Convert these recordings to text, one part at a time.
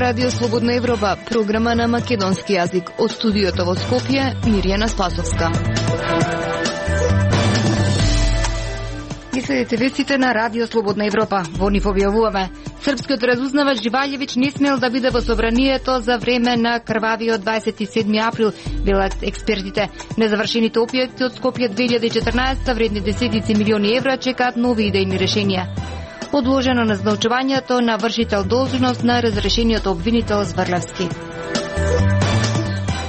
Радио Слободна Европа, програма на македонски јазик. Од студиото во Скопје, Мирјана Спасовска. Ги следите вестите на Радио Слободна Европа. Во нив објавуваме: српскиот разузнавач Живаљевиќ не смел да биде во собранието за време на крвавиот 27 април, велат експертите. Незавршените опјати од Скопје 2014 вредни десетици милиони евра чекаат нови идејни решенија. Одложено назначувањето на вршител должност на разрешениот обвинител Зврлевски.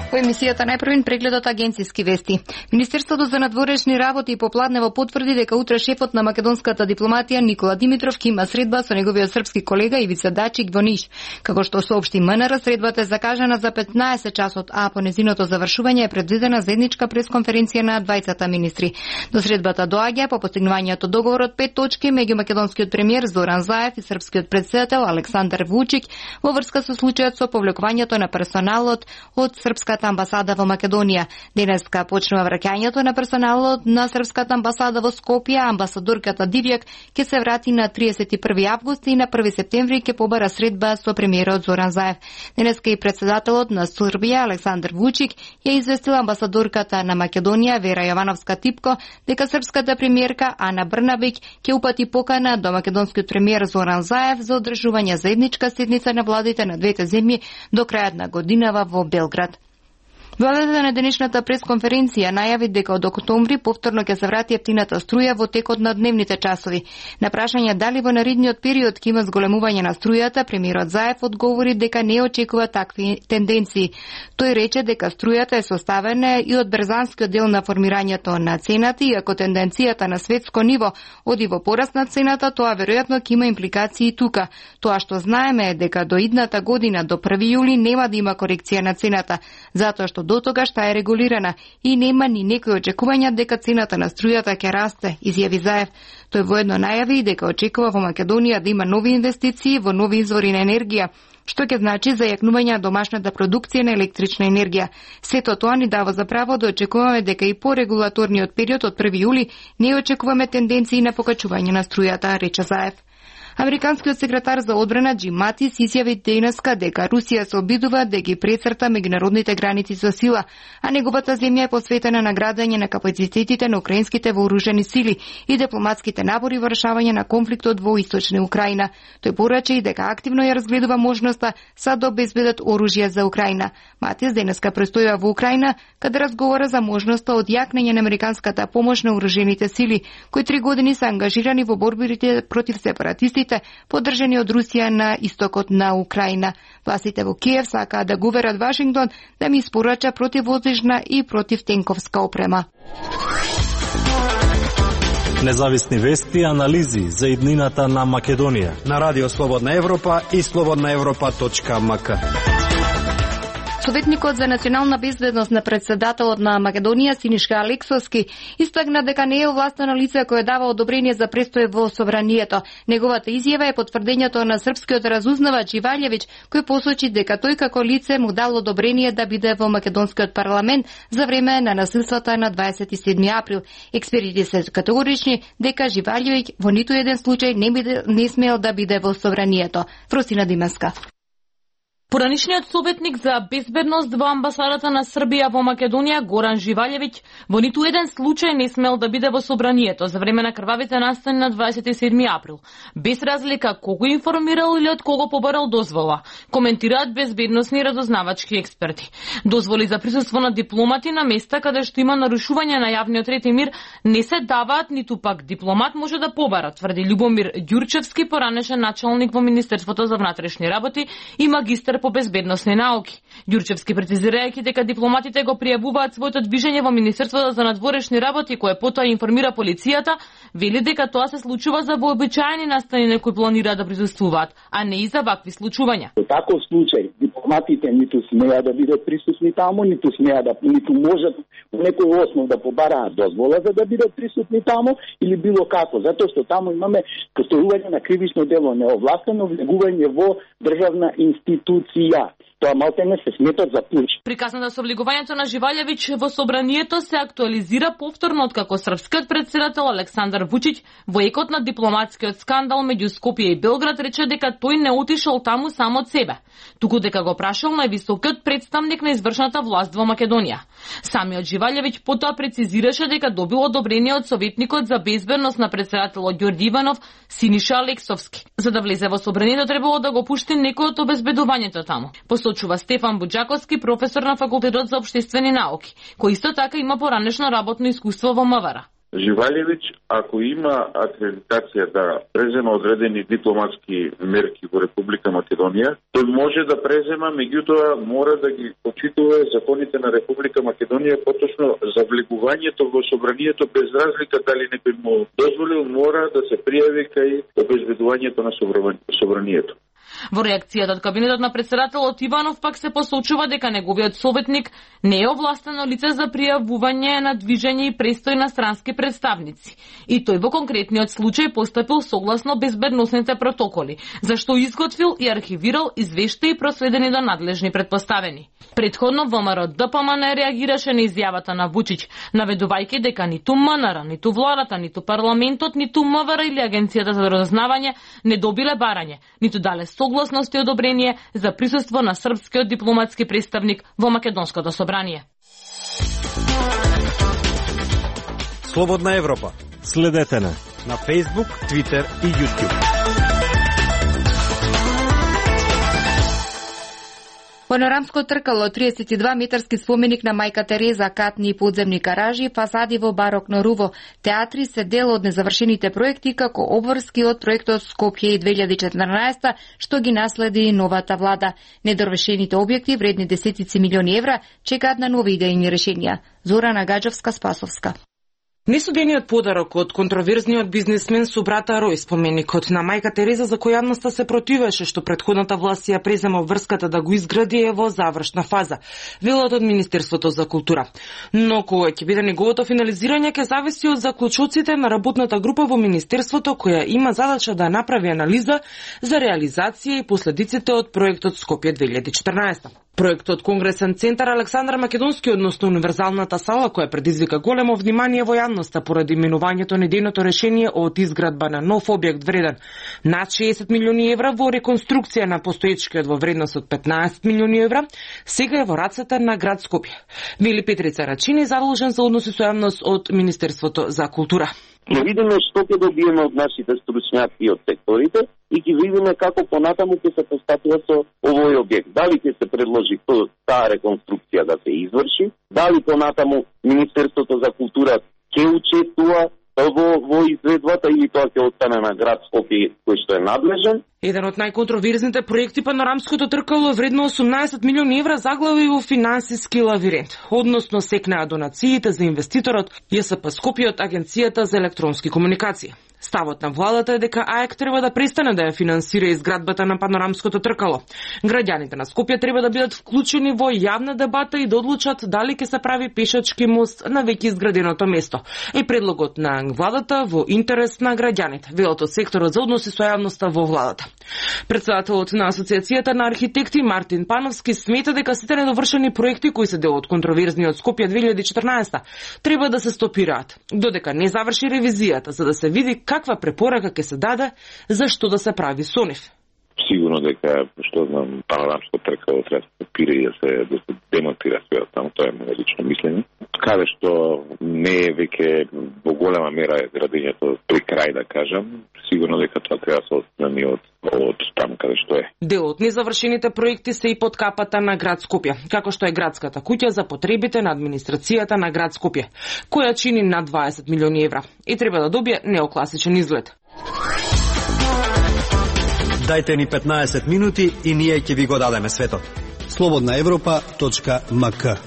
Во емисијата најпрвен прегледот агенцијски вести. Министерството за надворешни работи попладнево потврди дека утре шефот на македонската дипломатија Никола Димитров ќе има средба со неговиот српски колега Ивица Дачик во Ниш. Како што соопшти МНР, средбата е закажана за 15 часот, а по незиното завршување е предвидена заедничка пресконференција на двајцата министри. До средбата доаѓа по постигнувањето договор од 5 точки меѓу македонскиот премиер Зоран Заев и српскиот председател Александар Вучик во врска со случајот со повлекувањето на персоналот од српската амбасада во Македонија. Денеска почнува враќањето на персоналот на српската амбасада во Скопје. Амбасадорката Дивјак ќе се врати на 31 август и на 1 септември ќе побара средба со премиерот Зоран Заев. Денеска и председателот на Србија Александар Вучик ја известила амбасадорката на Македонија Вера Јовановска-Типко дека српската премиерка Ана Брнабиќ ќе упати покана до македонскиот премиер Зоран Заев за одржување заедничка седница на владите на двете земји до крајот на годинава во Белград. Владата на денешната пресконференција најави дека од октомври повторно ќе се врати ефтината струја во текот на дневните часови. На прашање дали во наредниот период ќе има зголемување на струјата, премиерот Заев одговори дека не очекува такви тенденции. Тој рече дека струјата е составена и од брзанскиот дел на формирањето на цената и ако тенденцијата на светско ниво оди во пораст на цената, тоа веројатно ќе има импликации и тука. Тоа што знаеме е дека до идната година, до 1 јули, нема да има корекција на цената, затоа што до тогаш таа е регулирана и нема ни некои очекувања дека цената на струјата ќе расте, изјави Заев. Тој воедно најави дека очекува во Македонија да има нови инвестиции во нови извори на енергија, што ќе значи зајакнување на домашната продукција на електрична енергија. Сето тоа ни дава за право да очекуваме дека и по регулаторниот период од 1 јули не очекуваме тенденции на покачување на струјата, рече Заев. Американскиот секретар за одбрана Џим Матис изјави денеска дека Русија се обидува да ги прецрта меѓународните граници со сила, а неговата земја е посветена на градење на капацитетите на украинските вооружени сили и дипломатските напори во решавање на конфликтот во источна Украина. Тој порача и дека активно ја разгледува можноста да обезбедат оружје за Украина. Матис денеска престојува во Украина, каде разговара за можноста од јакнење на американската помош на вооружените сили, кои 3 години се ангажирани во борбите против сепаратистите поддржани од Русија на истокот на Украина. Властите во Киев сакаат да го уверат Вашингтон да ми испорача противвоздушна и противтенковска опрема. Независни вести и анализи за иднината на Македонија на Радио Слободна Европа и slobodnaevropa.mk. Советникот за национална безбедност на председателот на Македонија Синишка Алексовски истакна дека не е овластено лице кое дава одобрение за престој во собранието. Неговата изјава е потврдењето на српскиот разузнавач Живаљевиќ, кој посочи дека тој како лице му дал одобрение да биде во македонскиот парламент за време на насилствата на 27 април. Експертите се категорични дека Живаљевиќ во ниту еден случај не смел да биде во собранието. Фросина Димеска. Поранишниот советник за безбедност во амбасадата на Србија во Македонија Горан Живаљевиќ во ниту еден случај не смел да биде во собранието за време на крвавите настани на 27 април, без разлика кого информирал или од кого побарал дозвола, коментираат безбедносни разузнавачки експерти. Дозволи за присуство на дипломати на места каде што има нарушување на јавниот ред и мир не се даваат, ниту пак дипломат може да побара, тврди Љубомир Ѓурчевски, поранешен началник во Министерството за внатрешни работи и магистар по безбедносни науки. Ѓурчевски прецизирајќи дека дипломатите го пријавуваат своето движење во Министерството за надворешни работи, кое потоа информира полицијата, вели дека тоа се случува за вообичаени настани на кои планираат да присуствуваат, а не и за вакви случувања. Во таков случај дипломатите ниту смеа да бидат присутни таму, ниту можат во некој основ да побараат дозвола за да бидат присутни таму или било како, затоа што таму имаме постојување на кривично дело неовластено влегување во државна институција. корупција. Тоа малку не се смета за пуч. Приказната со влегувањето на Живалјевиќ во собранието се актуализира повторно откако српскиот претседател Александар Вучиќ во екот на дипломатскиот скандал меѓу Скопје и Белград рече дека тој не отишол таму само од себе, туку дека го прашал највисокиот представник на извршната власт во Македонија. Самиот Живалјевиќ потоа прецизираше дека добил одобрение од советникот за безбедност на претседателот Ѓорѓи Иванов Синиша Алексовски. За да влезе во собранието требало да го пушти некој од обезбедувањето таму. Посочува Стефан Буџаковски, професор на Факултетот за општествени науки, кој исто така има поранешно работно искуство во МВР. Живалјевиќ, ако има акредитација да презема одредени дипломатски мерки во Република Македонија, тој може да презема, меѓутоа мора да ги почитува законите на Република Македонија, поточно за влегувањето во собранието без разлика дали некој му дозволил, мора да се пријави кај обезбедувањето на собранието. Во реакцијата од кабинетот на претседателот Иванов пак се посочува дека неговиот советник не е овластено лице за пријавување на движење и престој на странски представници. И тој во конкретниот случај постапил согласно безбедносните протоколи, зашто изготвил и архивирал извештаи проследени до надлежни претпоставени. Предходно ВМРО ДПМН реагираше на изјавата на Вучиќ, наведувајќи дека ниту МНР, ниту владата, ниту парламентот, ниту МВР или Агенцијата за разузнавање не добиле барање, ниту дале согласност и одобрение за присуство на српскиот дипломатски представник во Македонското собрание. Слободна Европа. Следете на Facebook, Twitter и YouTube. Панорамско тркало, 32 метарски споменик на мајка Тереза, катни и подземни гаражи, фасади во барокно руво, театри се дел од незавршените проекти како обврски од проектот Скопје 2014, што ги наследи новата влада. Недорвешените објекти вредни десетици милиони евра чекаат на нови идејни решенија. Зорана Гаджовска-Спасовска. Несудениот подарок од контроверзниот бизнисмен со брата Рој, споменикот на мајка Тереза за кој јавноста се противеше што претходната власт ја презема врската да го изгради е во завршна фаза, велат од Министерството за култура. Но кога ќе биде неговото финализирање ќе зависи од заклучоците на работната група во Министерството која има задача да направи анализа за реализација и последиците од проектот Скопје 2014. Проектот Конгресен центар Александар Македонски, односно универзалната сала која предизвика големо внимание во јавноста поради именувањето на идејното решение од изградба на нов објект вреден над 60 милиони евра во реконструкција на постоечкиот во вредност од 15 милиони евра, сега е во рацете на град Скопје. Вели Петрица Рачини, задолжен за односи со јавност од Министерството за култура. Ќе видиме што ќе добиеме од нашите стручњаци и од секторите и ќе видиме како понатаму ќе се постапува со овој објект. Дали ќе се предложи таа реконструкција да се изврши, дали понатаму Министерството за култура ќе учествува во изведбата или тоа ќе остане на град Скопје кој што е надлежен. Еден од најконтроверзните проекти Панорамското тркало вредно 18 милиони евра заглави во финансиски лавиринт, односно секнаа донациите за инвеститорот ЈСП Скопје од Агенцијата за електронски комуникации. Ставот на владата е дека АЕК треба да престане да ја финансира изградбата на Панорамското тркало. Граѓаните на Скопје треба да бидат вклучени во јавна дебата и да одлучат дали ќе се прави пешачки мост на веќе изграденото место. И предлогот на владата во интерес на граѓаните, велат од секторот за односи со јавноста во владата. Председателот на Асоциацијата на архитекти Мартин Пановски смета дека сите недовршени проекти кои се дел од контроверзниот Скопје 2014 треба да се стопираат, додека не заврши ревизијата за да се види каква препорака ќе се даде за што да се прави со нив. Сигурно дека, што знам, Панорамско тркало треба да се стопира и да се демонтира све таму, тоа е моје лично мислење. Каде што не е веќе во голема мера е градењето при крај, да кажам, сигурно дека тоа треба да се отстрани од таму каде што е. Дел од незавршените проекти се и под капата на град Скопје, како што е градската куќа за потребите на администрацијата на град Скопје, која чини над 20 милиони евра и треба да добие неокласичен изглед. Дајте ни 15 минути и ние ќе ви го дадеме светот. slobodnaevropa.mk.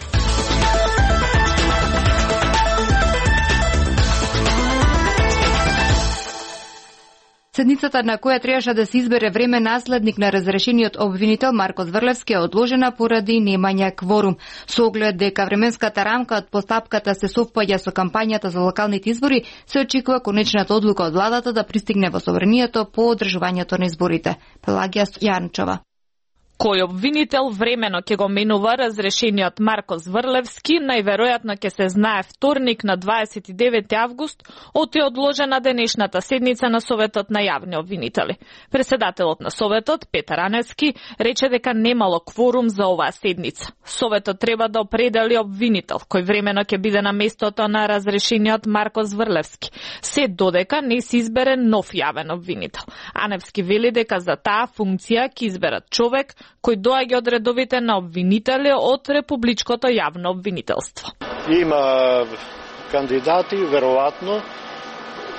Седницата на која требаше да се избере време наследник на разрешениот обвинител Марко Зврлевски е одложена поради немање кворум. Со оглед дека временската рамка од постапката се совпаѓа со кампањата за локалните избори, се очекува конечната одлука од владата да пристигне во собранието по одржувањето на изборите. Пелагија Јанчова. Кој обвинител времено ќе го менува разрешениот Марко Зврлевски, најверојатно ќе се знае вторник на 29 август, од е одложена денешната седница на Советот на јавни обвинители. Председателот на Советот, Петар Аневски, рече дека немало кворум за оваа седница. Советот треба да определи обвинител, кој времено ќе биде на местото на разрешениот Марко Зврлевски, се додека не се избере нов јавен обвинител. Аневски вели дека за таа функција ќе изберат човек кој доаѓа од редовите на обвинители од Републичкото јавно обвинителство. Има кандидати, веројатно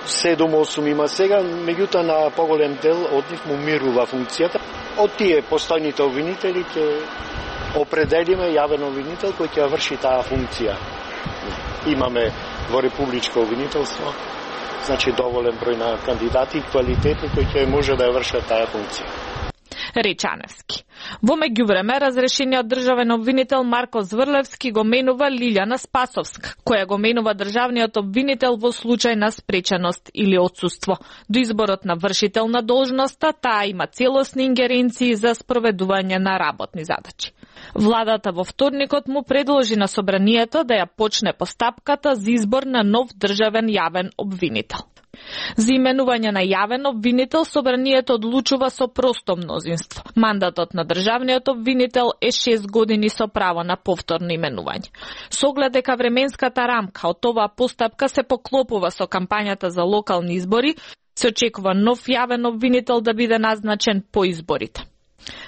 7-8 има сега, меѓутоа на поголем дел од нив му мирува функцијата. Од тие постојните обвинители ќе определиме јавен обвинител кој ќе врши таа функција. Имаме во Републичко обвинителство, значи доволен број на кандидати и квалитетни кои ќе може да ја вршат таа функција. Рече Аневски. Во меѓувреме, разрешениот државен обвинител Марко Зврлевски го менува Лилјана Спасовска, која го менува државниот обвинител во случај на спреченост или отсуство. До изборот на вршител на должноста, таа има целосни ингеренции за спроведување на работни задачи. Владата во вторникот му предложи на собранието да ја почне постапката за избор на нов државен јавен обвинител. За именување на јавен обвинител собранието одлучува со просто мнозинство. Мандатот на државниот обвинител е 6 години со право на повторно именување. Со оглед дека временската рамка од оваа постапка се поклопува со кампањата за локални избори, се очекува нов јавен обвинител да биде назначен по изборите.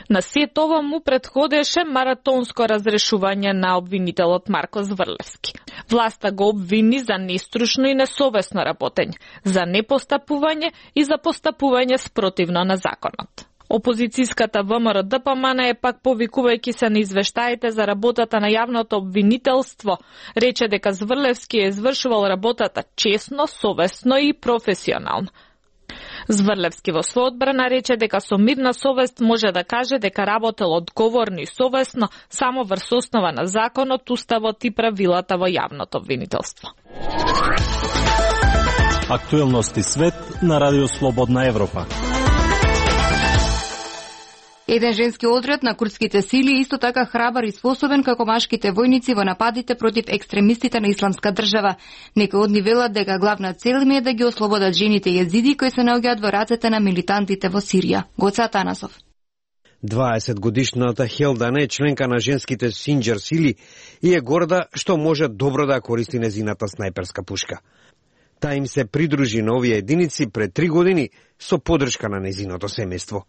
На сет ова му претходеше маратонско разрешување на обвинителот Марко Зврлевски. Власта го обвини за неструшно и несовесно работење, за непостапување и за постапување спротивно на законот. Опозицијската ВМРО ДПМН е пак повикувајќи се на извештаите за работата на јавното обвинителство, рече дека Зврлевски е извршувал работата честно, совесно и професионално. Зврлевски во своја одбрана рече дека со мирна совест може да каже дека работел одговорно и совесно само врз основа на законот, уставот и правилата во јавното обвинителство. Актуелности свет на Радио Слободна Европа. Еден женски одред на курдските сили исто така храбар и способен како машките војници во нападите против екстремистите на Исламска држава. Некои од нив велат дека главна цел им е да ги ослободат жените језиди кои се наоѓаат во рацете на милитантите во Сирија. Гоце Атанасов. 20-годишната Хелдане е членка на женските Синџер сили и е горда што може добро да користи незината снајперска пушка. Та им се придружи на овие единици пред 3 години со поддршка на незиното семејство.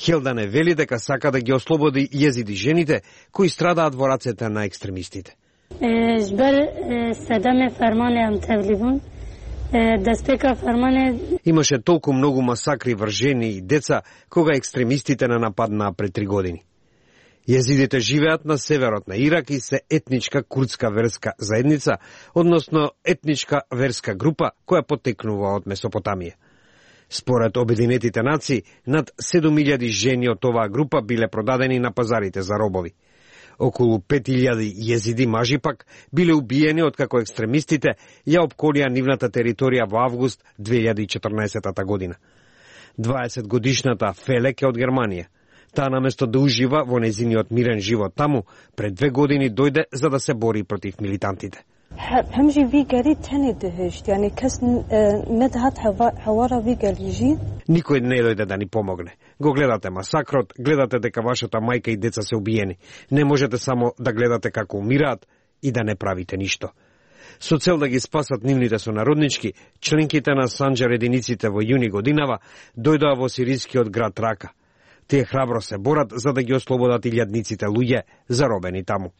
Хелдане вели дека сака да ги ослободи језиди жените кои страдаат во рацете на екстремистите. Имаше толку многу масакри врз жени и деца кога екстремистите не нападнаа пред 3 години. Језидите живеат на северот на Ирак и се етничка курдска верска заедница, односно етничка верска група која потекнува од Месопотамија. Според Обединетите нации, над 7000 жени од оваа група биле продадени на пазарите за робови. Околу 5000 језиди мажи пак биле убиени откако екстремистите ја опколија нивната територија во август 2014 година. 20-годишната Фелек е од Германија. Таа наместо да ужива во незиниот мирен живот таму, пред 2 години дојде за да се бори против милитантите. Никој не дојде да ни помогне. Го гледате масакрот, гледате дека вашата мајка и деца се убиени. Не можете само да гледате како умираат и да не правите ништо. Со цел да ги спасат нивните сонароднички, членките на Санџер единиците во јуни годинава дојдоа во сирискиот град Рака. Тие храбро се борат за да ги ослободат илјадниците луѓе заробени таму.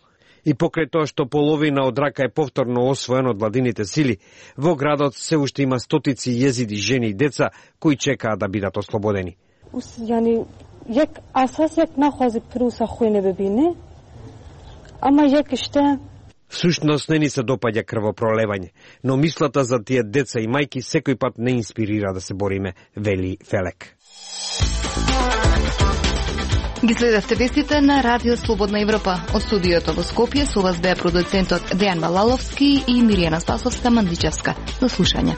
И покрај тоа што половина од Рака е повторно освоен од владините сили, во градот се уште има стотици језиди, жени и деца кои чекаат да бидат ослободени. Всушност не ни се допаѓа крвопролевање, но мислата за тие деца и мајки секој пат не инспирира да се бориме, вели Фелек. Ги следевте вестите на Радио Слободна Европа. Од студиото во Скопје со вас беа продуцентот Дејан Малаловски и Миријана Спасовска Мандичевска. До слушање.